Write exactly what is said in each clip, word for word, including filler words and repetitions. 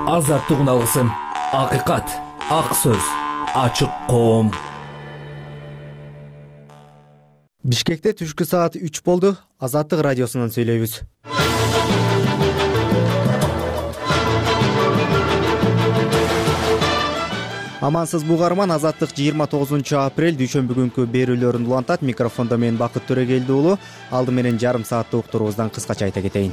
азаттык уналгысым, акыйкат, ак сөз, ачык коом. Бишкекте түшкү саат үч болду. Азаттык радиосунан сүйлөйбүз. Амансыз бугарман, Азаттык жыйырма тогузунчу апрель дүйшөмбү күнкү берүүлөрүн улантат. Микрофондо мен Бакыт Төрөгелди уулу. Алды менен жарым сааттык уктуруубуздан кыскача айта кетейин.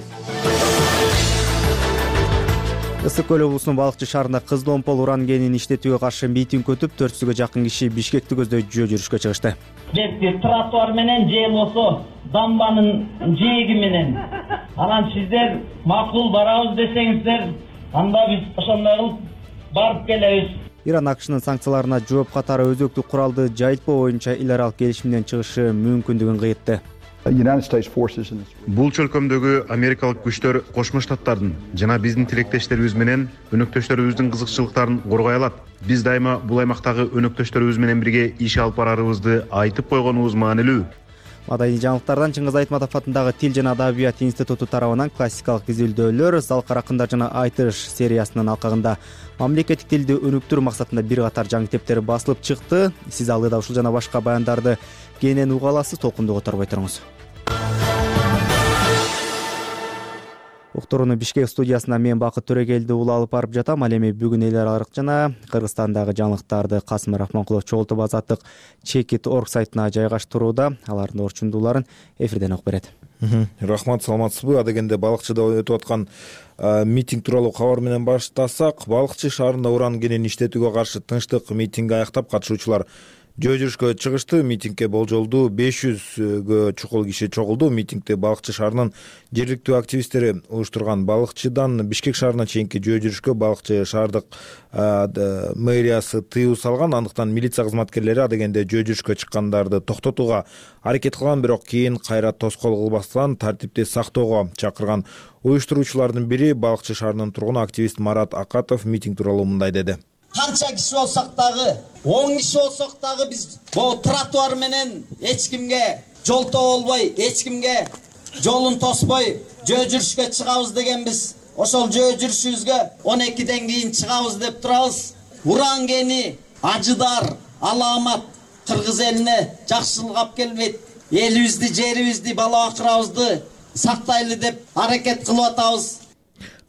Ысык көл облусунун Балыкчы шаарында кыздомпол уран кенин иштетүүгө каршы митинг өтүп, төрт жүзгө жакын киши Бишкекти көздөй жөө жүрүшкө чыгышты. Бетти тротуар менен же болсо дамбанын жээги менен. Анан сиздер макул барабыз десеңиздер, анда биз ошондой кылып барып келебиз. Иран АКШнын санкцияларына жооп катары өзөктүк куралды жайылтпоо боюнча эл аралык келишимден чыгышы мүмкүндүгүн кыйтты. Бул чөлкөмдөгү америкалык күчтөр Кошмо Штаттардын жана биздин тилектештерибиз менен өнөктөштөрүбүздүн кызыкчылыктарын коргой алат. Биз дайыма бул аймактагы өнөктөштөрүбүз менен бирге иш алып барарыбызды айтып койгонубуз маанилүү. Маданий жаңылыктардан Чыңгыз Айтматов атындагы Тил жана Адабият институту тарабынан классикалык изилдөөлөр Залкар акындар жана айтыш сериясынын алкагында мамлекеттик тилди өнүктүрүү максатында бир катар жаңы китептер басылып чыкты. Сиз алыда ушул жана башка баяндарды кенен уга аласыз, толкунду которбой туруңуз. Уктурууну Бишкек студиясына мен Бакыт Төрөгелди уулу алып барып жатам. Ал эми бүгүн эл аралык жана Кыргызстандагы жаңылыктарды Касым Рахманкулов чогултуп Азаттык чекит точка орг сайтына жайгаштырууда. Алардын орчундууларын эфирден угуп берет. Рахмат, саламатсызбы? Адегенде Балыкчыда өтүп аткан митинг тууралуу кабар менен баштасак, Балыкчы шаарында уран кенин иштетүүгө каршы тынчтык митингге аяктап катышуучулар жөө жүрүшкө чыгышты. Митингге болжолдуу беш жүзгө чукул киши чогулду. Митингди Балыкчы шаарынын жергиликтүү активисттери уюштурган. Балыкчыдан Бишкек шаарына чейинки жөө жүрүшкө Балыкчы шаардык мэриясы тыюу салган. Андыктан милиция кызматкерлери адегенде жөө жүрүшкө чыккандарды токтотууга аракет кылган, бирок кийин кайра тоскоол кылбастан тартипти сактоого чакырган. Уюштуруучулардын бири Балыкчы шаарынын тургуну активист Марат Акатов митинг тууралуу мындай деди. Канча киши болсок дагы, он киши болсок дагы биз бул тротуар менен эч кимге жолтоо болбой, эч кимге жолун тоспой жөө жүрүшкө чыгабыз дегенбиз. Ошол жөө жүрүшүбүзгө он экиден кийин чыгабыз деп турабыз. Уран кени ажыдар, аламат кыргыз элине жакшылык алып келбейт. Элибизди, жерибизди, бала бакырабызды сактайлы деп аракет кылып атабыз.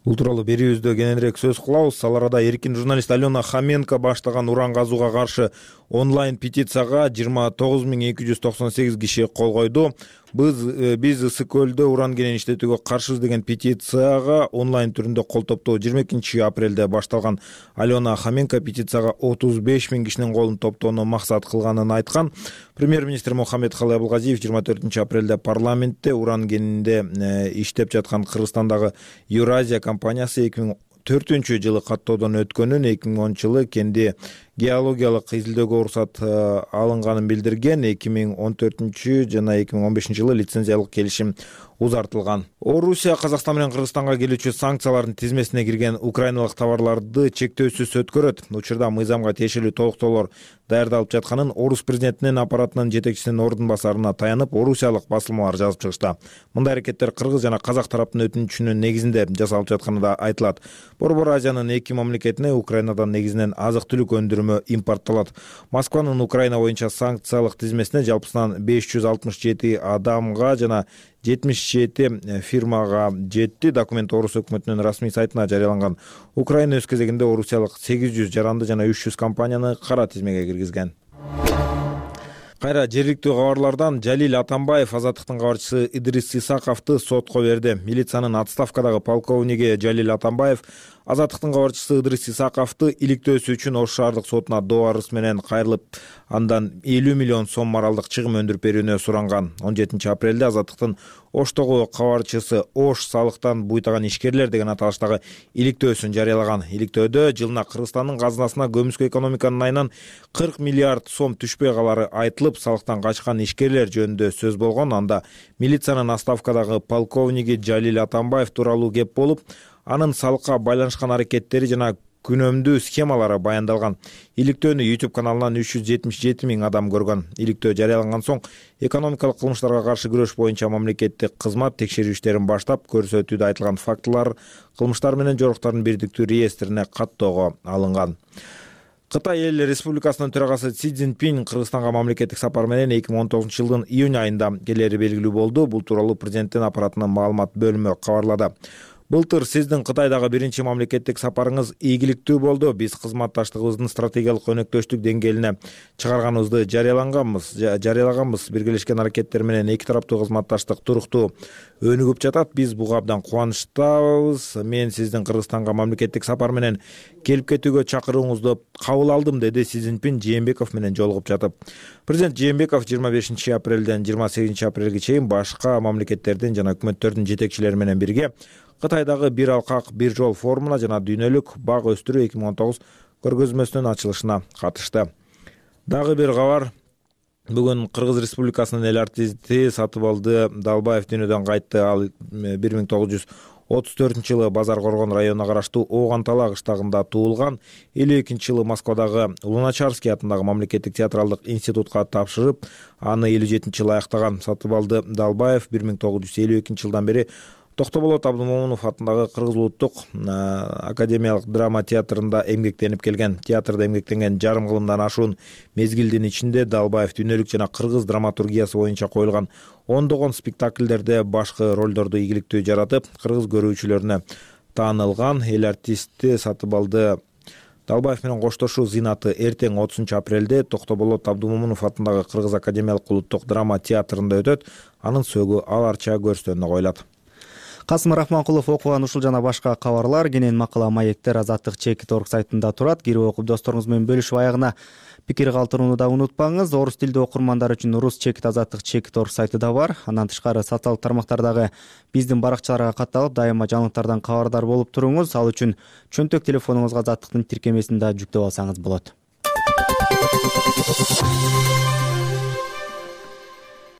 Бул тууралуу берүүбүздө кененирээк сөз кылабыз. Ал арада эркин журналист Алена Хоменко баштаган уран казууга каршы онлайн петицияга жыйырма тогуз миң эки жүз токсон сегиз киши кол койду. Биз биз ысык көлдө уран кенин иштетүүгө каршыбыз деген петицияга онлайн түрүндө кол топтоо жыйырма экинчи апрелде башталган. Алена Хоменко петицияга отуз беш миң кишинин колун топтоону максат кылганын айткан. Премьер-министр Мухаммедкалый Абылгазиев жыйырма төртүнчү апрелде парламентте уран кенинде иштеп жаткан Кыргызстандагы Евразия компаниясы эки миң төртүнчү жылы каттоодон өткөнүн, эки миң онунчу жылы кенди геологиялык изилдөөгө уруксат алынганын билдирген. эки миң он төртүнчү жана эки миң он бешинчи жылы лицензиялык келишим узартылган. Орусия Казакстан менен Кыргызстанга келүүчү санкциялардын тизмесине кирген украиналык товарларды чектөөсүз өткөрөт. Учурда мыйзамга тиешелүү толуктоолор даярдалып жатканын Орус президентинин аппаратынын жетекчисинин ордун басарына таянып, орусиялык басылмалар жазып чыгышты. Мындай аракеттер кыргыз жана казак тараптын өтүнүчүнүн негизинде жасалып жатканы да айтылат. Борбор Азиянын эки мамлекетине Украинадан негизинен азык-түлүк өндүрүмү импорттолот. Москванын Украина боюнча санкциялык тизмесине жалпысынан беш жүз алтымыш жети адамга жана жетимиш жети фирмага жетти. Документ Орус өкмөтүнүн расмий сайтына жарыяланган. Украина өз кезегинде орусиялык сегиз жүз жаранды жана үч жүз компанияны кара тизмеге киргизген. Кайра жергиликтүү кабарлардан Жалил Атамбаев Азаттыктын кабарчысы Идрис Исаковду сотко берди. Милициянын отставкадагы полковниги Жалил Атамбаев Азаттыктын кабарчысы Идрис Исаковду иликтөөсү үчүн Ош шаардык сотуна доо арыз менен кайрылып, андан элүү миллион сом моралдык чыгым өндүрүп берүүнү суранган. он жетинчи апрелде Азаттыктын Оштогу кабарчысы Ош салыктан буйтаган ишкерлер деген аталыштагы иликтөөсүн жарыялаган. Иликтөөдө жылына Кыргызстандын казынасына көмүскө экономиканын айынан кырк миллиард сом түшпөй калары айтылып, салыктан качкан ишкерлер жөнүндө сөз болгон. Анда милициянын отставкадагы полковниги Жалил Атамбаев тууралуу кеп болуп, анын салыкка байланышкан аракеттери жана күнөмдүү схемалары баяндалган. Иликтөөнү YouTube каналынан үч жүз жетимиш жети миң адам көргөн. Иликтөө жарыяланган соң экономикалык кылмыштарга каршы күрөш боюнча мамлекеттик кызмат текшерүү иштерин баштап, көрсөтүүдө айтылган фактылар кылмыштар менен жоруктардын бирдиктүү реестрине каттоого алынган. Кытай эл республикасынын төрагасы Си Цзиньпин Кыргызстанга мамлекеттик сапар менен эки миң он тогузунчу жылдын июнь айында келери белгилүү болду. Бул тууралуу президенттин аппаратынын маалымат бөлүмү кабарлады. Былтыр сиздин Кытайдагы биринчи мамлекеттик сапарыңыз ийгиликтүү болду. Биз кызматташтыгыбыздын стратегиялык өнөктөштүк деңгээлине чыгарганыбызды жарыялаганбыз. жарыялаганбыз. Биргелешкен аракеттер менен эки тараптуу кызматташтык туруктуу өнүгүп жатат. Биз буга абдан кубанычтабыз. Мен сиздин Кыргызстанга мамлекеттик сапар менен келип кетүүгө чакырууңузду кабыл алдым, деди Си Цзиньпин Жээнбеков менен жолугуп жатып. Президент Жээнбеков жыйырма бешинчи апрелден жыйырма сегизинчи апрелге чейин башка мамлекеттердин жана өкмөттөрдүн жетекчилери менен бирге Кытайдагы бир алкак бир жол форумуна жана дүйнөлүк бак өстүрүү эки миң он тогуз көргөзмөсүнүн ачылышына катышты. Дагы бир кабар. Бүгүн Кыргыз Республикасынын эл артисти Сатыбалды Далбаев дүйнөдөн кайтты. Ал бир миң тогуз жүз отуз төртүнчү жылы Базар Коргон районуна караштуу Оогантала кыштагында туулган. элүү экинчи жылы Москвадагы Луначарский атындагы мамлекеттик театралдык институтка тапшырып, аны элүү жетинчи жылы аяктаган Сатыбалды Далбаев бир миң тогуз жүз элүү экинчи жылдан бери Токтоболот Абдымомунов атындагы Кыргыз улуттук академиялык драма театрында эмгектенип келген. Театрда эмгектенген жарым кылымдан ашуун мезгилдин ичинде Далбаев дүйнөлүк жана кыргыз драматургиясы боюнча коюлган ондогон спектакльдерде башкы ролдорду ийгиликтүү жаратып, кыргыз көрүүчүлөрүнө таанылган. Эл артисти Сатыбалды Далбаев менен коштошуу зыйнаты эртең отузунчу апрелде Токтоболот Абдымомунов атындагы Кыргыз академиялык улуттук драма театрында өтөт. Анын сөөгү аларча көрсөтүүнү коюлат. Касым Рахманкулов окуган ушул жана башка кабарлар кенен макала маектер Азаттык чекит орг сайтында турат. Кирип окуп досторуңуз менен бөлүшүп аягына пикир калтырууну да унутпаңыз. Орус тилдүү окурмандар үчүн Рус чекит Азаттык чекит орг сайты да бар. Андан тышкары социалдык тармактардагы биздин баракчаларга катталып, дайыма жаңылыктардан кабардар болуп туруңуз. Ал үчүн чөнтөк телефонуңузга Азаттыктын тиркемесин да жүктөп алсаңыз болот.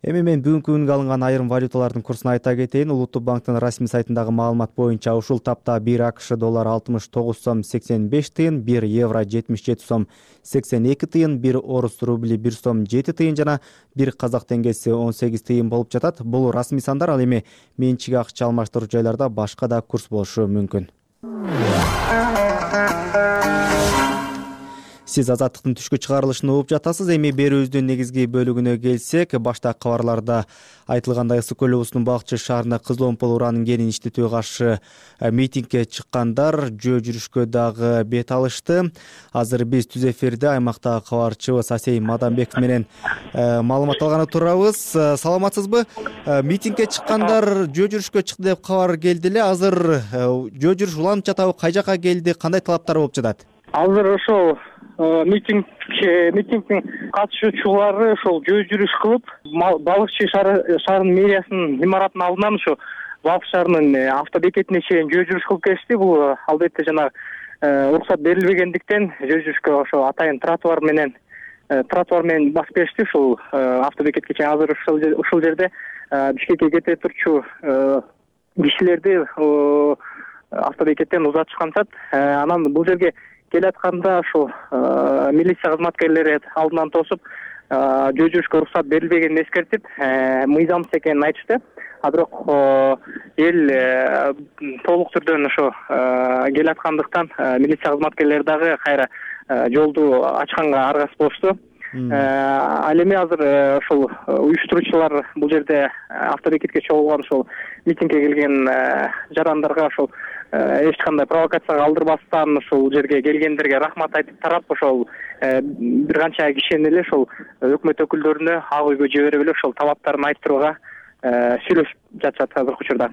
Эми мен бүгүнкү күнгө алынган айрым валюталардын курсун айта кетейин. Улуттук банктын расмий сайтындагы маалымат боюнча ушул тапта бир АКШ доллар алтымыш тогуз сом сексен беш тыйын, бир евро жетимиш жети сом сексен эки тыйын, бир орус рубли бир сом жети тыйын жана бир казак теңгеси он сегиз тыйын болуп жатат. Бул расмий сандар. Ал эми менчик акча алмаштыруу жайларда башка да курс болушу мүмкүн. Сиз Азаттыктын түшкү чыгарылышын угуп жатасыз. Эми берүүбүздүн негизги бөлүгүнө келсек, башта кабарларда айтылгандай Ысык көл облусунун Балыкчы шаарында кызыл омпол ураанын кенин иштетүүгө каршы митингге чыккандар жөө жүрүшкө дагы бет алышты. Азыр биз түз эфирде аймактагы кабарчыбыз Асей Маданбеков менен маалымат алганы турабыз. Саламатсызбы? Митингге чыккандар жөө жүрүшкө чыкты деп кабар келди эле. Азыр жөө жүрүш уланып жатабы? Кай жака келди? Кандай талаптар болуп жатат? Азыр ошол митинг митингдин катышуучулары ошол жөө жүрүш кылып, Балыкчы шаарынын мэриясынын имаратынын алдынан ошо Балыкчы шаарынын автобекетине чейин жөө жүрүш кылып келишти. Бул албетте жана уруксат берилбегендиктен жөө жүрүшкө ошо атайын тротуар менен тротуар менен басып келишти. Ушул автобекетке чейин азыр ушул жерде Бишкекке кете турчу кишилерди автобекеттен узатышканчат. Анан бул жерге келатканда ошол милиция кызматкерлери алдынан тосуп, жөө жүрүшкө уруксат берилбегенин эскертип, мыйзамсыз экенин айтышты. А бирок эл толук түрдөн ошо келаткандыктан милиция кызматкерлери дагы кайра жолду ачканга аргасыз болушту. Ал эми азыр ошол уюштуруучулар бул жерде автобекетке чогулган ошол митингге келген жарандарга ошол эч кандай провокацияга алдырбастан ушул жерге келгендерге рахмат айтып тарап, ошол бир канча кишини эле ошол өкмөт өкүлдөрүнө ак үйгө жиберип эле ошол талаптарын айттырууга сүйлөшүп жатышат азыркы учурда.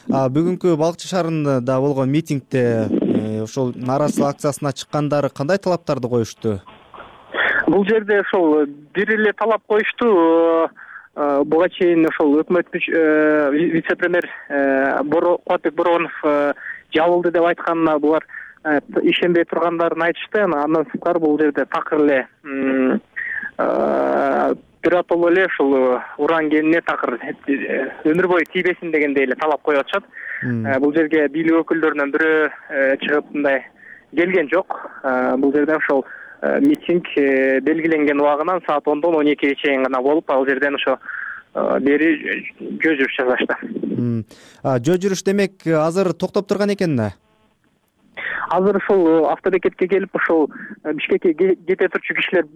Бүгүнкү Балыкчы шаарында болгон митингде ошол нааразычылык акциясына чыккандар кандай талаптарды коюшту? Бул жерде ошол бир эле талап коюшту. Буга чейин ошол өкмөт вице-премьер Кубатбек Боронов жабылды деп айтканына булар ишенбей тургандарын айтышты. Андан сырткары бул жерде такыр эле биротоло эле ушул уран кенине такыр өмүр бою тийбесин дегендей эле талап коюп атышат. Бул жерге бийлик өкүлдөрүнөн бирөө чыгып мындай келген жок. Бул жерден ошол митинг белгиленген убагынан саат ондон он экиге чейин гана болуп, ал жерден ошо бери жөө жүрүш жасашты. Жөө жүрүш демек азыр токтоп турган экен да? Азыр ушул автобекетке келип, ушул Бишкекке кете турчу кишилер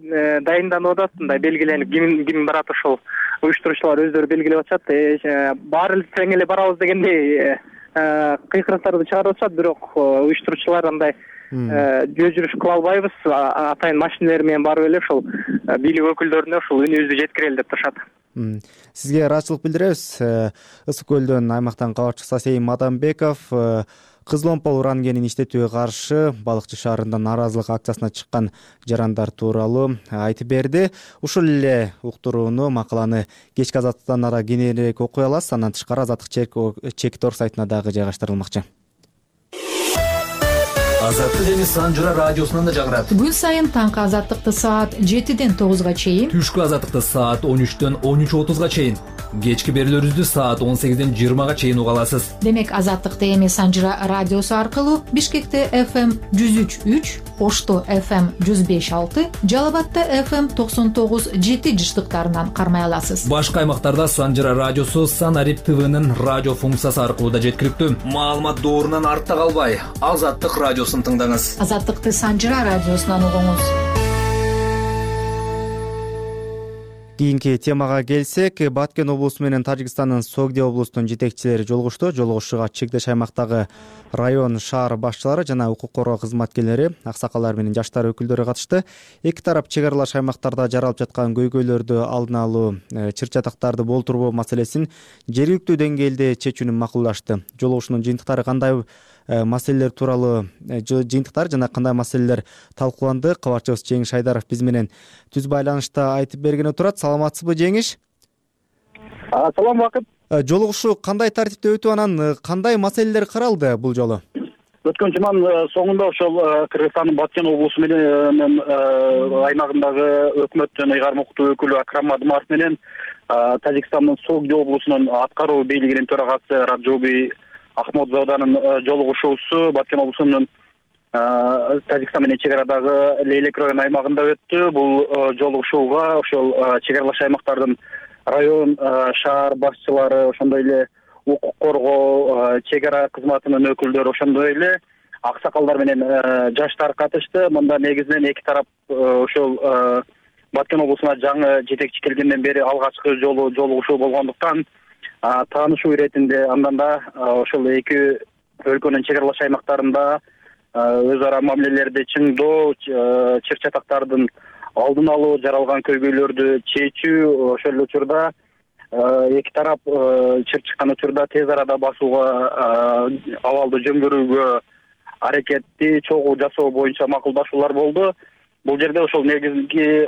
дайынданып атат, мындай белгиленип, ким ким барат, ошол уюштуруучулар өздөрү белгилеп атышат. Баары эле тең эле барабыз дегендей кыйкырыктарды чыгарып атышат, бирок уюштуруучулар андай жөө жүрүш кыла албайбыз, атайын машиналар менен барып эле ошол бийлик өкүлдөрүнө ушул үнүбүздү жеткирели деп турушат. Сизге ыраазычылык билдиребиз. Ысык көлдөн аймактан кабарчы Сасейин Мадамбеков кызыл омпол уран кенин иштетүүгө каршы Балыкчы шаарында нааразылык акциясына чыккан жарандар тууралуу айтып берди. Ушул эле уктурууну, макаланы кечки Азаттыкта кененирээк окуй аласыз. Андан тышкары Азаттык чек.орг сайтына дагы жайгаштырылмакчы. Азаттык эми Санжыра радиосунан да жагырат. Күн сайын таңкы Азаттыкты саат жетиден тогузга чейин, түшкү Азаттыкты саат он үчтөн он үч отузга чейин, кечки берүүлөрүбүздү саат он сегизден жыйырмага чейин уга аласыз. Демек Азаттыкты эми Санжыра радиосу аркылуу Бишкекте эф эм жүз үч үч, Ошто эф эм жүз беш алты, Жалал абадта эф эм токсон тогуз жети жыштыктарынан кармай аласыз. Башка аймактарда Санжыра радиосу Санарип ТВнын радио функциясы аркылуу да жеткиликтүү. Маалымат доорунан артта калбай, Азаттык радиосун тыңдаңыз. Азаттыкты Санжыра радиосунан угуңуз. Кийинки темага келсек, Баткен облусу менен Тажикстандын Согди облусунун жетекчилери жолугушту. Жолугушууга чектеш аймактагы район, шаар башчылары жана укук коргоо кызматкерлери, аксакалдар менен жаштар өкүлдөрү катышты. Эки тарап чек аралаш аймактарда жаралып жаткан көйгөйлөрдү алдын алуу, чыр-чатактарды болтурбоо маселесин жергиликтүү деңгээлде чечүүнү макулдашты. Жолугушуунун жыйынтыктары кандай маселелер тууралуу жыйынтыктар жана кандай маселелер талкууланды? Кабарчыбыз Жеңиш Айдаров биз менен түз байланышта айтып бергени турат. Саламатсызбы, Жеңиш? Салам, Бакыт. Жолугушуу кандай тартипте өтүп, анан кандай маселелер каралды бул жолу? Өткөн жуманын соңунда ошол Кыргызстандын Баткен облусу менен аймагындагы өкмөттүн ыйгарым укуктуу өкүлү Акрам Адымаров менен Тажикстандын Согди облусунун аткаруу бийлигинин төрагасы Раджоби Ахмодзоданын жолугушуусу Баткен облусунун Тажикстан менен чек арадагы Лейлек район аймагында өттү. Бул жолугушууга ошол чек аралаш аймактардын район, шаар башчылары, ошондой эле укук коргоо, чек ара кызматынын өкүлдөрү, ошондой эле аксакалдар менен жаштар катышты. Мында негизинен эки тарап ошол Баткен облусуна жаңы жетекчи келгенден бери алгачкы жолу жолугушуу болгондуктан таанышуу иретинде андан да ошол эки өлкөнүн чек аралаш аймактарында өз ара мамилелерди чыңдоо, чыр-чатактардын алдын алуу, жаралган көйгөйлөрдү чечүү, ошол эле учурда эки тарап чыр чыккан учурда тез арада басууга, абалды жөндөрүүгө аракетти чогуу жасоо боюнча макулдашуулар болду. Бул жерде ошол негизги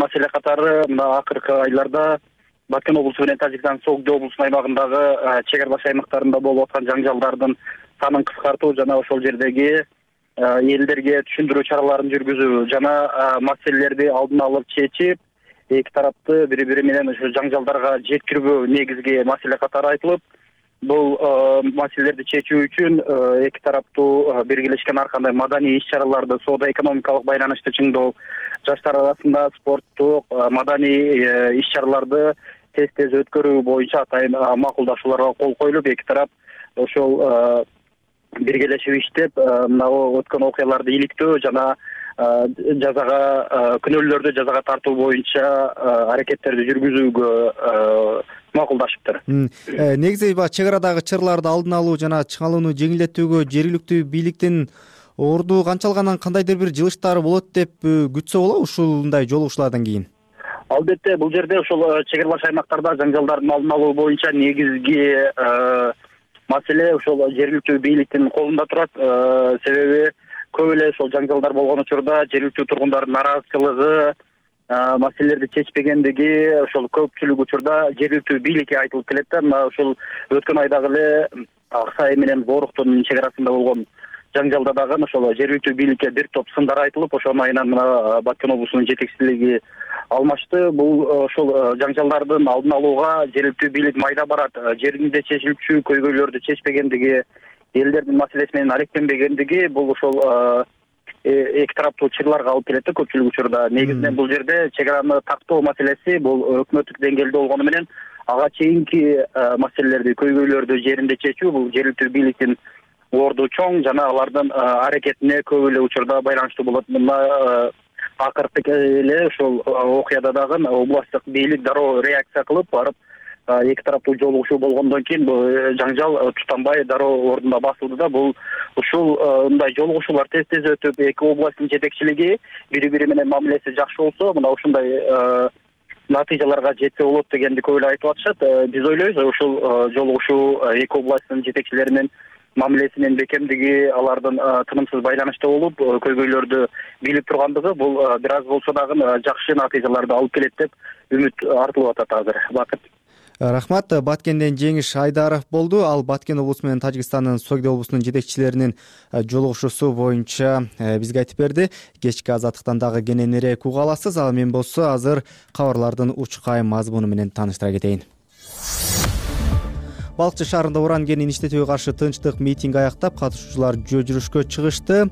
маселе катары мына акыркы айларда Баткен облусу менен Тажикстан Согди облусунун аймагындагы чек аралаш аймактарында болуп аткан жаңжалдардын санын кыскартуу жана ошол жердеги элдерге түшүндүрүү чараларын жүргүзүү жана маселелерди алдын алып чечип, эки тарапты бири-бири менен ошо жаңжалдарга жеткирүү негизги маселе катары айтылып, бул маселелерди чечүү үчүн эки тараптуу биргелешкен ар кандай маданий иш-чараларды, соода-экономикалык байланышты чыңдоо, жаштар арасында спорттук, маданий иш-чараларды тез-тез өткөрүү боюнча атайын макулдашууларга кол коюлуп, эки тарап ошол биргелешип иштеп, мына өткөн окуяларды иликтөө жана жазага күнөөлөрдү жазага тартуу боюнча аракеттерди жүргүзүүгө макулдашыптыр. Негизи чек арадагы чырларды алдын алуу жана чыңалууну жеңилдетүүгө жергиликтүү бийликтин орду канчалгандан кандайдыр бир жылыштары болот деп күтсө болобу ушундай жолугушуулардан кийин? Албетте, бул жерде ошол чек аралаш аймактарда жаңжалдардын алдын алуу боюнча негизги маселе ошол жергиликтүү бийликтин колунда турат. Себеби көп эле ошол жаңжалдар болгон учурда жергиликтүү тургундардын нааразычылыгы, маселелерди чечпегендиги ошол көпчүлүк учурда жергиликтүү бийликке айтылып келет да. Мына ошол өткөн айдагы эле Аксай менен Боруктун чек арасында болгон жаңжалда дагы ошол жергиликтүү бийликке бир топ сындар айтылып, ошонун айынан мына Баткен облусунун жетекчилиги алмашты. Бул ошол жаңжалдардын алдын алууга жергиликтүү бийлик майда барат, жеринде чечилчү көйгөйлөрдү чечпегендиги, элдердин маселеси менен алектенбегендиги бул ошол эки тараптуу чырларга алып келет да көпчүлүк учурда. Негизинен бул жерде чек араны тактоо маселеси бул өкмөттүк деңгээлде болгону менен ага чейинки маселелерди, көйгөйлөрдү жеринде чечүү бул жергиликтүү бийликтин орду чоң жана алардын аракетине көп эле учурда байланыштуу болот. Мына акыркы эле ушул окуяда дагы областтык бийлик дароо реакция кылып барып эки тараптуу жолугушуу болгондон кийин бул жаңжал тутанбай дароо ордунда басылды да. Бул ушул мындай жолугушуулар тез тез өтүп, эки областтын жетекчилиги бири бири менен мамилеси жакшы болсо, мына ушундай натыйжаларга жетсе болот дегенди көп эле айтып атышат. Биз ойлойбуз ушул жолугушуу эки областтын жетекчилеринин мамилесинин бекемдиги, алардын тынымсыз байланышта болуп көйгөйлөрдү билип тургандыгы бул бир аз болсо дагы жакшы натыйжаларды алып келет деп үмүт артылып атат азыр. Бакыт. Рахмат. Баткенден Жеңиш Айдаров болду. Ал Баткен облусу менен Тажикстандын Согди облусунун жетекчилеринин жолугушуусу боюнча бизге айтып берди. Кечки азаттыктан дагы кененирээк уга аласыз. Ал мен болсо азыр кабарлардын учкай мазмуну менен тааныштыра кетейин. Балыкчы шаарында уран кенин иштетүүгө каршы тынчтык митинг аяктап, катышуучулар жөө жүрүшкө чыгышты.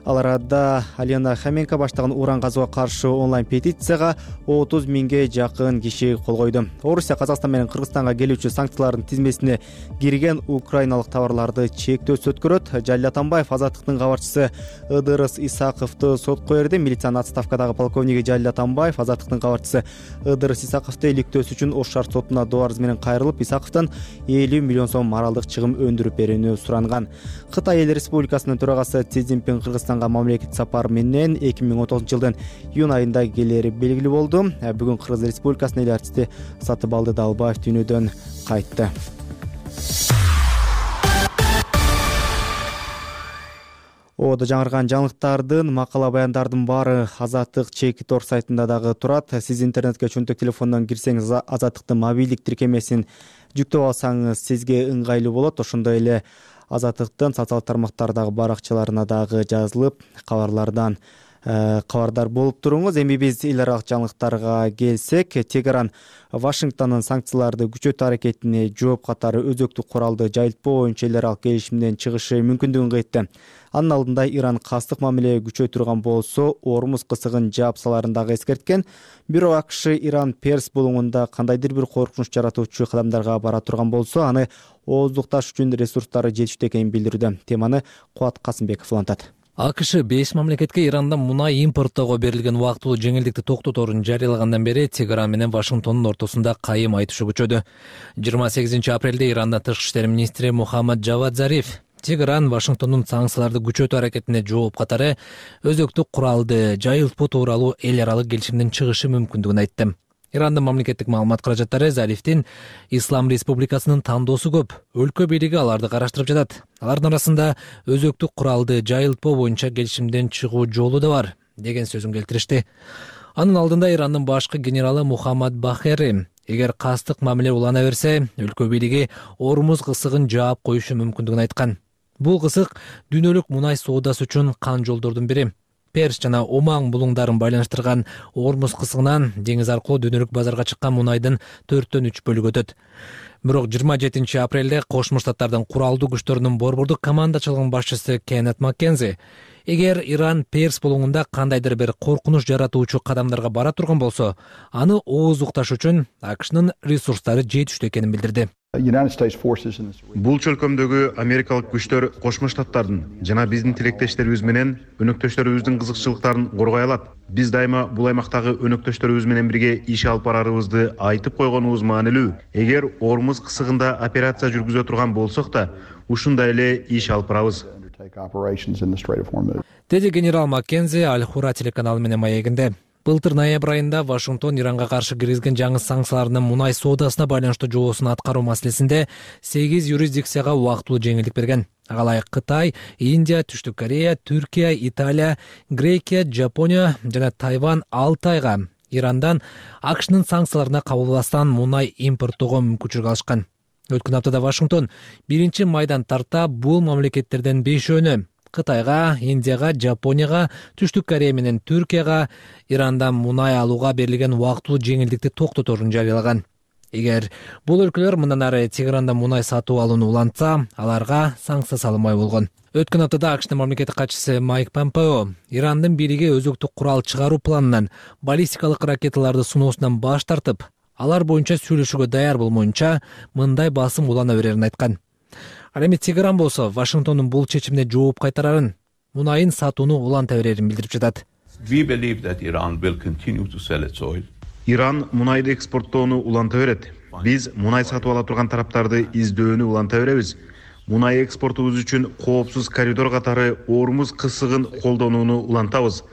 Ал арада Алена Хоменко баштаган уран казууга каршы онлайн петицияга отуз миңге жакын киши кол койду. Орусия Казакстан менен Кыргызстанга келүүчү санкциялардын тизмесине кирген украиналык товарларды чектөөсүз өткөрөт. Жалил Атамбаев Азаттыктын кабарчысы Ыдырыс Исаковду сотко берди. Милициянын отставкадагы полковниги Жалил Атамбаев Азаттыктын кабарчысы Ыдырыс Исаковду иликтөөсү үчүн Ош шаар сотуна доо арыз менен кайрылып, Исаковдон элүү миллион сом моралдык чыгым өндүрүп берүүнү суранган. Кытай Эл Республикасынын төрагасы Си Цзиньпин Кыргызстанга мамлекеттик сапар менен эки миң он тогузунчу жылдын июнь айында келери белгилүү болду. Бүгүн Кыргыз Республикасынын эл артисти Сатыбалды Далбаев дүйнөдөн кайтты. Оодо жаңырган жаңылыктардын, макала баяндардын баары Азаттык чеки тор сайтында дагы турат. Сиз интернетке чөнтөк телефондон кирсеңиз Азаттыктын мобилдик тиркемесин жүктөп алсаңыз сизге ыңгайлуу болот. Ошондой эле Азаттыктын социалдык тармактардагы баракчаларына дагы жазылып, кабарлардан кабардар болуп туруңуз. Эми биз эл аралык жаңылыктарга келсек, Тегеран Вашингтондун санкцияларды күчөтүү аракетине жооп катары өзөктүк куралды жайылтпоо боюнча эл аралык келишимден чыгышы мүмкүндүгүн кайтты. Анын алдында Иран кастык мамиле күчөй турган болсо, Ормуз кысыгын жаапсаларын дагы эскерткен. Бирок АКШ Иран Перс булуңунда кандайдыр бир коркунуч жаратуучу кадамдарга бара турган болсо, аны ооздукташ үчүн ресурстары жетиштүү экенин билдирүүдө. Теманы Кубат Касымбеков улантат. АКШ беш мамлекетке Ирандан мунай импорттоого берилген убактылуу жеңилдикти токтоторун жарыялагандан бери Тегеран менен Вашингтондун ортосунда кайым айтышуу күчөдү. жыйырма сегизинчи апрелде Ирандын тышкы иштер министри Мухаммад Джавад Зариф Тегеран Вашингтондун санкцияларды күчөтүү аракетине жооп катары өзөктүк куралды жайылтпоо тууралуу эл аралык келишимден чыгышы мүмкүндүгүн айтты. Ирандын мамлекеттик маалымат каражаттары Зарифтин Ислам Республикасынын тандоосу көп. Өлкө бийлиги аларды караштырып жатат. Алардын арасында өзөктүк куралды жайылтпоо боюнча келишимден чыгуу жолу да бар деген сөзүн келтиришти. Анын алдында Ирандын башкы генералы Мухаммад Бахери эгер кастык мамиле улана берсе, өлкө бийлиги Ормуз кысыгын жаап коюшу мүмкүндүгүн айткан. Бул кысык дүйнөлүк мунай соодасы үчүн кан жолдордун бири. Перс жана Оман булуңдарын байланыштырган Ормуз кысыгынан деңиз аркылуу дүйнөлүк базарга чыккан мунайдын төрттөн үч бөлүгү өтөт. Бирок жыйырма жетинчи апрелде Кошмо Штаттардын куралдуу күчтөрүнүн борбордук командачылыгынын башчысы Кеннет Маккензи эгер Иран Перс булуңунда кандайдыр бир коркунуч жаратуучу кадамдарга бара турган болсо, аны ооздукташ үчүн АКШнын ресурстары жетиштүү экенин билдирди. Бул чөлкөмдөгү америкалык күчтөр Кошмо Штаттардын жана биздин тилектештерибиз менен өнөктөштөрүбүздүн кызыкчылыктарын коргой алат. Биз дайыма бул аймактагы өнөктөштөрүбүз менен бирге иш алып барарыбызды айтып койгонубуз маанилүү. Эгер Ормуз кысыгында операция жүргүзө турган болсок да, ушундай эле иш алып барабыз. Деди генерал Маккензи Аль-Хура телеканалы менен маегинде. Былтыр ноябрь айында Вашингтон Иранга каршы киргизген жаңы санкциялардын мунай соодасына байланыштуу жоосун аткаруу маселесинде сегиз юрисдикцияга убактылуу жеңилдик берген. Агалай Кытай, Индия, Түштүк Корея, Түркия, Италия, Грекия, Жапония жана Тайвань алты айга Ирандан АКШнын санкцияларына кабылбастан мунай импорттоого мүмкүнчүлүк алышкан. Өткөн аптада Вашингтон биринчи майдан тарта бул мамлекеттерден бешөөнү Кытайга, Индияга, Жапонияга, Түштүк Корея менен Түркияга Ирандан мунай алууга берилген убактылуу жеңилдикти токтоторун жарыялаган. Эгер бул өлкөлөр мындан ары Тегерандан мунай сатып алууну улантса, аларга санкция салынмай болгон. Өткөн аптада АКШнын мамлекеттик катчысы Майк Помпео Ирандын бийлиги өзөктүк курал чыгаруу планынан, баллистикалык ракеталарды сыноосунан баш тартып, алар боюнча сүйлөшүүгө даяр болмоюнча мындай басым улана берерин айткан. Ал эми Тегеран болсо Вашингтондун бул чечимине жооп кайтарарын, мунайын сатууну уланта берерин билдирип жатат. Иран мунайды экспорттоону уланта берет. Биз мунай сатып ала турган тараптарды издөөнү уланта беребиз. Мунай экспортубуз үчүн коопсуз коридор катары Ормуз кысыгын колдонууну улантабыз.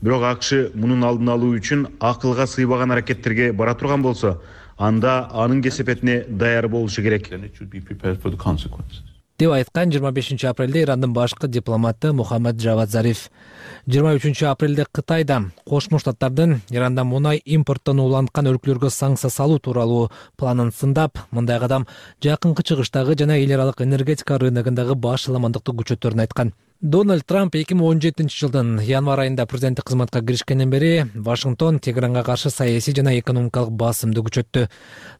Бирок АКШ мунун алдын алуу үчүн акылга сыйбаган аракеттерге бара турган болсо, анда анын кесепетине даяр болушу керек деп айткан жыйырма бешинчи апрелде Ирандын башкы дипломаты Мухаммад Джавад Зариф. жыйырма үчүнчү апрелде Кытайда Кошмо Штаттардын Ирандан мунай импорттону уланткан өлкөлөргө санкция салуу тууралуу планын сындап, мындай кадам жакынкы чыгыштагы жана эл аралык энергетика рыногундагы башаламандыкты күчөтөрүн айткан. Дональд Трамп эки миң он жетинчи жылдын январь айында президенттик кызматка киришкенден бери Вашингтон Тегеранга каршы саясий жана экономикалык басымды күчөттү.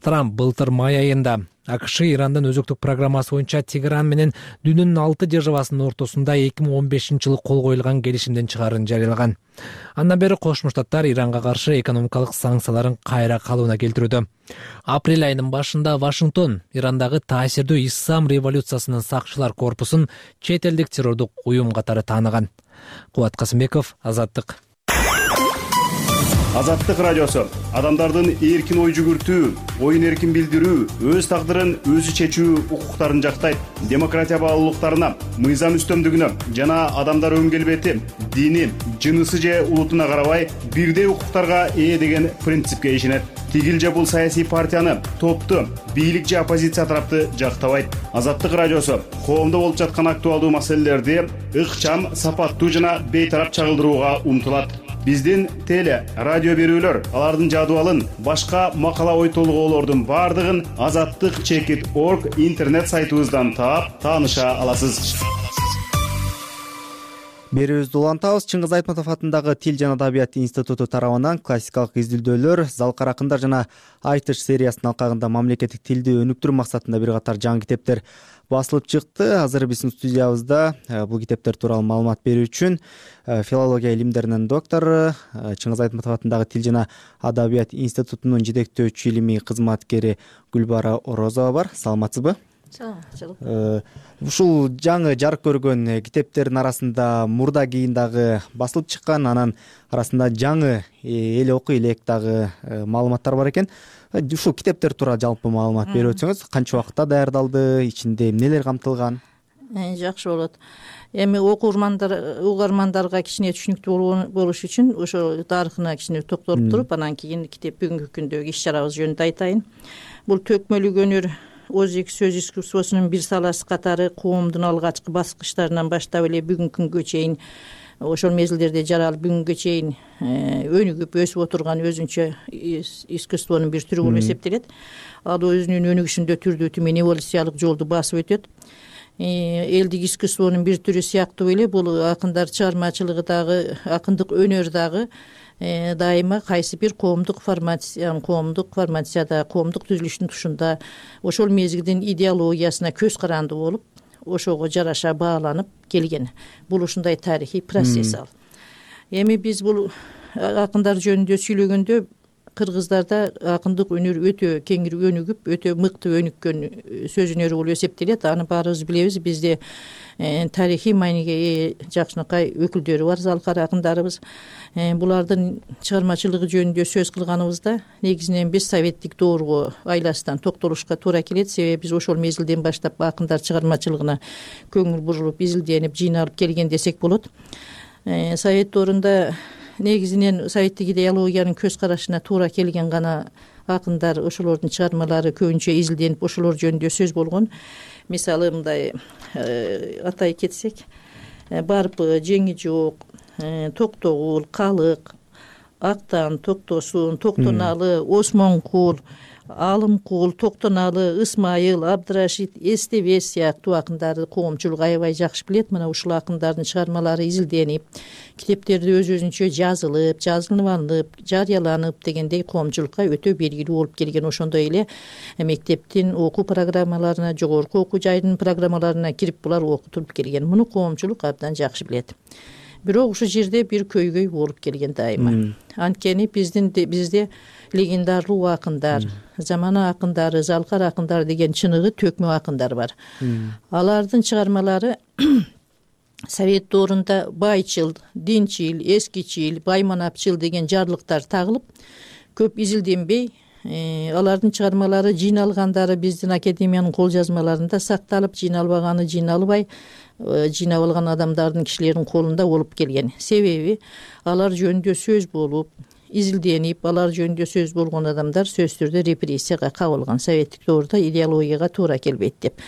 Трамп былтыр май айында АКШ Ирандын өзөктүк программасы боюнча Тегеран менен дүйнөнүн алты державасынын ортосунда эки миң он бешинчи жылы кол коюлган келишимден чыгаарын жарыялаган. Андан бери Кошмо Штаттар Иранга каршы экономикалык санкцияларын кайра калыбына келтирүүдө. Апрель айынын башында Вашингтон Ирандагы таасирдүү Ислам революциясынын сакчылар корпусун чет элдик террордук уюм катары тааныган. Кубат Касымбеков, Азаттык. Азаттык радиосу адамдардын эркин ой жүгүртүү, оюн эркин билдирүү, өз тагдырын өзү чечүү укуктарын жактайт. Демократия баалуулуктарына, мыйзам үстөмдүгүнө жана адамдар өн келбети, дини, жынысы же улутуна карабай бирдей укуктарга ээ деген принципке ишенет. Тигил же бул саясий партияны, топту, бийлик же оппозиция тарапты жактабайт. Азаттык радиосу коомдо болуп жаткан актуалдуу маселелерди ыкчам, сапаттуу жана бейтарап чагылдырууга умтулат. Биздин теле, радио берүүлөр, алардын жадыбалын, башка макала ой толгоолордун бардыгын азаттык чекит точка орг интернет сайтыбыздан таап, тааныша аласыз. Берүүбүздү улантабыз. Чыңгыз Айтматов атындагы Тил жана Адабият институту тарабынан классикалык изилдөөлөр, залкар акындар жана айтыш сериясынын алкагында мамлекеттик тилди өнүктүрүү максатында бир катар жаңы китептер басылып чыкты. Азыр биздин студиябызда бул китептер тууралуу маалымат берүү үчүн филология илимдеринин доктору, Чыңгыз Айтматов атындагы Тил жана Адабият институтунун жетектөөчү илимий кызматкери Гүлбара Орозова бар. Саламатсызбы? Саламатчылык. Ушул жаңы жарык көргөн китептердин арасында мурда кийин дагы басылып чыккан, анан арасында жаңы эл окуй элек дагы маалыматтар бар экен. Ушул китептер тууралуу жалпы маалымат берип өтсөңүз, канча убакытта даярдалды, ичинде эмнелер камтылган? Жакшы болот. Эми окуурмандар, угармандарга кичине түшүнүктүү болуш үчүн ошо тарыхына кичине токтолуп туруп, анан кийин китеп бүгүнкү күндөгү иш чарабыз жөнүндө айтайын. Бул төкмөлүк өнөр ооз сөз искусствосунун бир саласы катары коомдун алгачкы баскычтарынан баштап эле бүгүнкү күнгө чейин, ошол мезгилдерде жаралып бүгүнгө чейин өнүгүп өсүп отурган өзүнчө искусствонун бир түрү болуп эсептелет. Ал өзүнүн өнүгүшүндө түрдүү түмөн эволюциялык жолду басып өтөт. Элдик искусствонун бир түрү сыяктуу эле бул акындар чыгармачылыгы дагы, акындык өнөр дагы дайыма кайсы бир коомдук формация, коомдук формацияда, коомдук түзүлүштүн тушунда ошол мезгилдин идеологиясына көз каранды болуп, ошого жараша бааланып келген. Бул ушундай тарыхый процесс ал. Эми биз бул акындар жөнүндө сүйлөгөндө кыргыздарда акындык өнөр өтө кеңири өнүгүп, өтө мыкты өнүккөн сөз өнөрү болуп эсептелет. Аны баарыбыз билебиз. Бизде тарыхый мааниге ээ жакшынакай өкүлдөрү бар, залкар акындарыбыз. Булардын чыгармачылыгы жөнүндө сөз кылганыбызда негизинен биз советтик доорго айласынан токтолушка туура келет. Себеби биз ошол мезгилден баштап акындар чыгармачылыгына көңүл бурулуп, изилденип, жыйналып келген десек болот. Совет доорунда негизинен советтик идеологиянын көз карашына туура келген гана акындар, ошолордун чыгармалары көбүнчө изилденип, ошолор жөнүндө сөз болгон. Мисалы мындай атай кетсек, Барпы, Жеңи жок, Токтогул, Калык, Актан, Токтосун, Токтоналы, Осмонкул, Алымкул, Токтоналы, Ысмайыл, Абдрашит, Эстебес сыяктуу акындарды коомчулук аябай жакшы билет. Мына ушул акындардын чыгармалары изилденип, китептерди өз өзүнчө жазылып, жазылып алынып, жарыяланып дегендей коомчулукка өтө белгилүү болуп келген. Ошондой эле мектептин окуу программаларына, жогорку окуу жайдын программаларына кирип булар окутулуп келген. Муну коомчулук абдан жакшы билет. Бирок ушул жерде бир көйгөй болуп келген дайыма. Анткени биздин бизде легендарлуу акындар, замана акындары, залкар акындар деген чыныгы төкмө акындар бар. Алардын чыгармалары Совет доорунда байчыл, динчил, эскичил, байманапчыл деген жарлыктар тагылып, көп изилденбей, алардын чыгармалары жыйналгандары биздин академиянын кол жазмаларында сакталып, жыйналбаганы жыйналбай, жыйнап алган адамдардын, кишилердин колунда болуп келген. Себеби алар жөнүндө сөз болуп, изилденип, алар жөнүндө сөз болгон адамдар сөзсүз түрдө репрессияга кабылган. Советтик доорда идеологияга туура келбейт деп.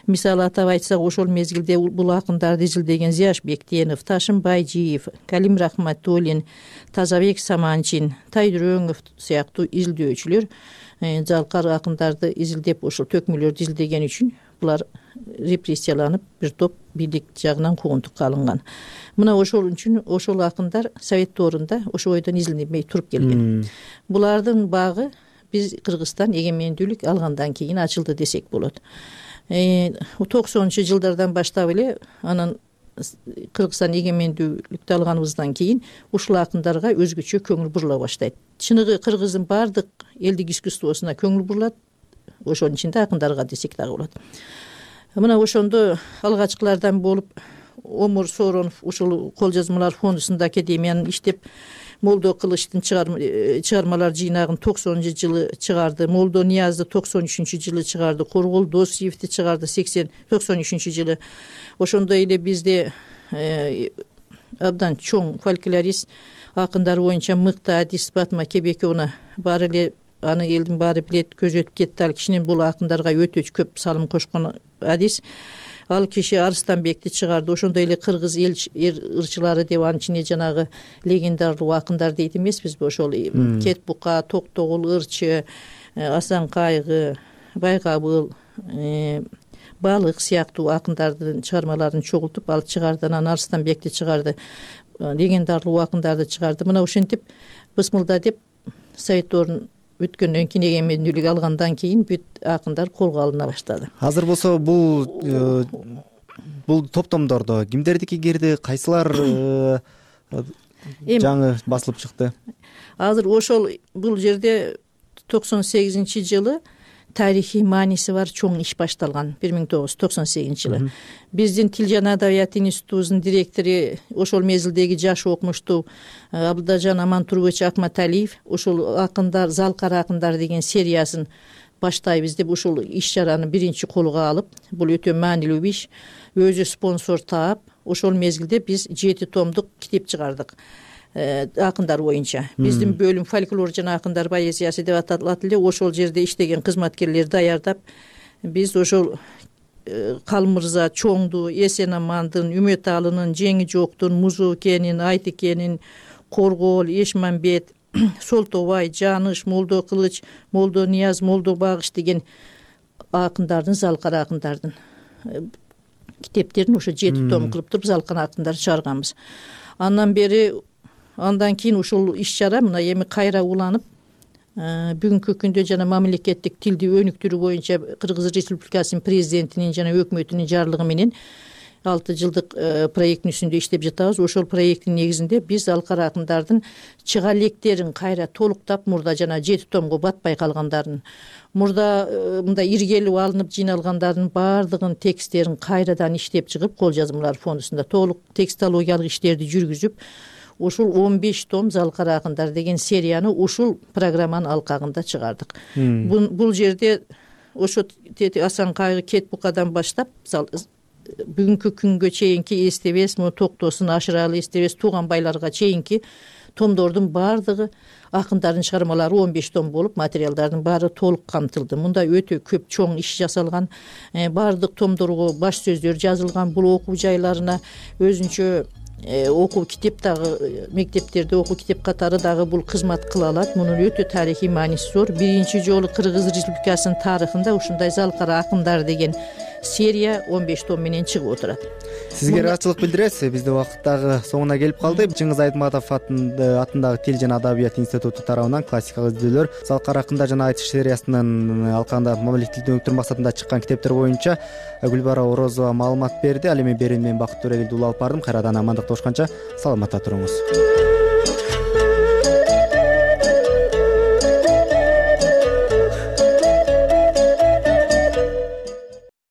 Мисалы атап айтсак, ошол мезгилде бул акындарды изилдеген Зияш Бектенов, Ташым Байжиев, Калим Рахматуллин, Тазабек Саманчин, Тайдүрөңов сыяктуу изилдөөчүлөр залкар акындарды изилдеп, ошол төкмөлөрдү изилдеген үчүн булар репрессияланып, бир топ бийлик жагынан куугунтукка алынган. Мына ошол үчүн ошол акындар Совет доорунда ошол бойдон изилденбей туруп келген. Булардын багы биз Кыргызстан эгемендүүлүк алгандан кийин ачылды десек болот. токсонунчу жылдардан баштап эле анан Кыргызстан эгемендүүлүктү алганыбыздан кийин ушул акындарга өзгөчө көңүл бурула баштайт. Чыныгы кыргыздын баардык элдик искусствосуна көңүл бурулат, ошонун ичинде акындарга десек дагы болот. Мына ошондо алгачкылардан болуп Омур Сооронов ушул кол жазмалар фондусунда академиянын иштеп, Молдо Кылычтын чыгармалар жыйнагын токсонунчу жылы чыгарды, Молдо Ниязды токсон үчүнчү жылы чыгарды, Коргул Досиевди чыгарды сексен токсон үчүнчү жылы. Ошондой эле бизде абдан чоң фольклорист акындар боюнча мыкты адис Батма Кебекеовна бар эле, аны элдин баары билет, көзү өтүп кетти. Ал кишинин бул акындарга өтө көп салым кошкон адис. Ал киши Арыстанбекти чыгарды. Ошондой эле кыргыз эл ырчылары деп анын ичине жанагы легендарлуу акындар дейт эмеспизби? Ошол Кет Бука, Токтогул ырчы, Асан Кайгы, Байгабыл, Балык сыяктуу акындардын чыгармаларын чогултуп ал чыгарды. Анан Арыстанбекти чыгарды, легендарлуу акындарды чыгарды. Мына ошентип бысмылда деп Совет доорун өткөндөн кийин эгемендүүлүк алгандан кийин бүт акындар колго алына баштады. Азыр болсо бул бул топтомдордо кимдердики кирди, кайсылар жаңы басылып чыкты? Азыр ошол бул жерде токсон сегизинчи жылы тарыхый мааниси бар чоң иш башталган. бир миң тогуз жүз токсон сегизинчи жылы биздин Тил жана Адабият институтубуздун директору, ошол мезгилдеги жаш окумуштуу Абдажан Амантурбович Акматалиев ошол акындар, залкар акындар деген сериясын баштайбыз деп ушул иш-чараны биринчи колго алып, бул өтө маанилүү иш, өзү спонсор таап, ошол мезгилде биз жети томдук китеп чыгардык акындар боюнча. Биздин бөлүм фольклор жана акындар поэзиясы деп аталат эле. Ошол жерде иштеген кызматкерлер даярдап, биз ошол Калмырза, Чоңду, Эсен-Амандын, Үмөталынын, Жеңи жоктун, Музукенин, Айтыкенин, Коргол, Эшмамбет, Солтобай, Жаныш, Молдо Кылыч, Молдо Нияз, Молдо Багыш деген акындардын, залкар акындардын китептерин ошо жети том кылып туруп залкар акындар чыгарганбыз. Андан бери Андан кийин ушул иш-чара мына эми кайра уланып, бүгүнкү күндө жана мамлекеттик тилди өнүктүрүү боюнча Кыргыз Республикасынын президентинин жана өкмөтүнүн жарлыгы менен алты жылдык проекттин үстүндө иштеп жатабыз. Ошол проекттин негизинде биз залкар акындардын чыга электерин кайра толуктап, мурда жана жети томго батпай калгандарын, мурда мындай иргелип алынып жыйналгандардын баардыгын тексттерин кайрадан иштеп чыгып, кол жазмалар фондусунда толук текстологиялык иштерди жүргүзүп, ушул он беш том залкар акындар деген серияны ушул программанын алкагында чыгардык. Бул жерде ошо Асан Кайгы, Кет Букадан баштап бүгүнкү күнгө чейинки Эстебес, Токтосун, Ашыралы, Эстебес, Тууганбайларга чейинки томдордун баардыгы акындардын чыгармалары он беш том болуп, материалдардын баары толук камтылды. Мында өтө көп чоң иш жасалган, баардык томдорго баш сөздөр жазылган, бул окуу жайларына өзүнчө окуу китеп дагы мектептерде окуу китеп катары дагы бул кызмат кыла алат. Мунун өтө тарыхый мааниси зор. Биринчи жолу Кыргыз Республикасынын тарыхында ушундай Залкара акындар деген серия он беш том менен чыгып отурат. Сизге ыраазычылык билдиребиз. Бизде убакыт дагы соңуна келип калды. Чыңгыз Айтматов атындагы Тил жана Адабият институту тарабынан классикалык издөөлөр Залкара акындар жана айтыш сериясынын алкагында мамлекеттик тилди өнүктүрүү максатында чыккан китептер боюнча Гүлбара Орозова маалымат берди. Ал эми берүүнү мен Бакыт Төрелиев улап бардым. Кайрадан амандыкта болушканча саламатта туруңуз.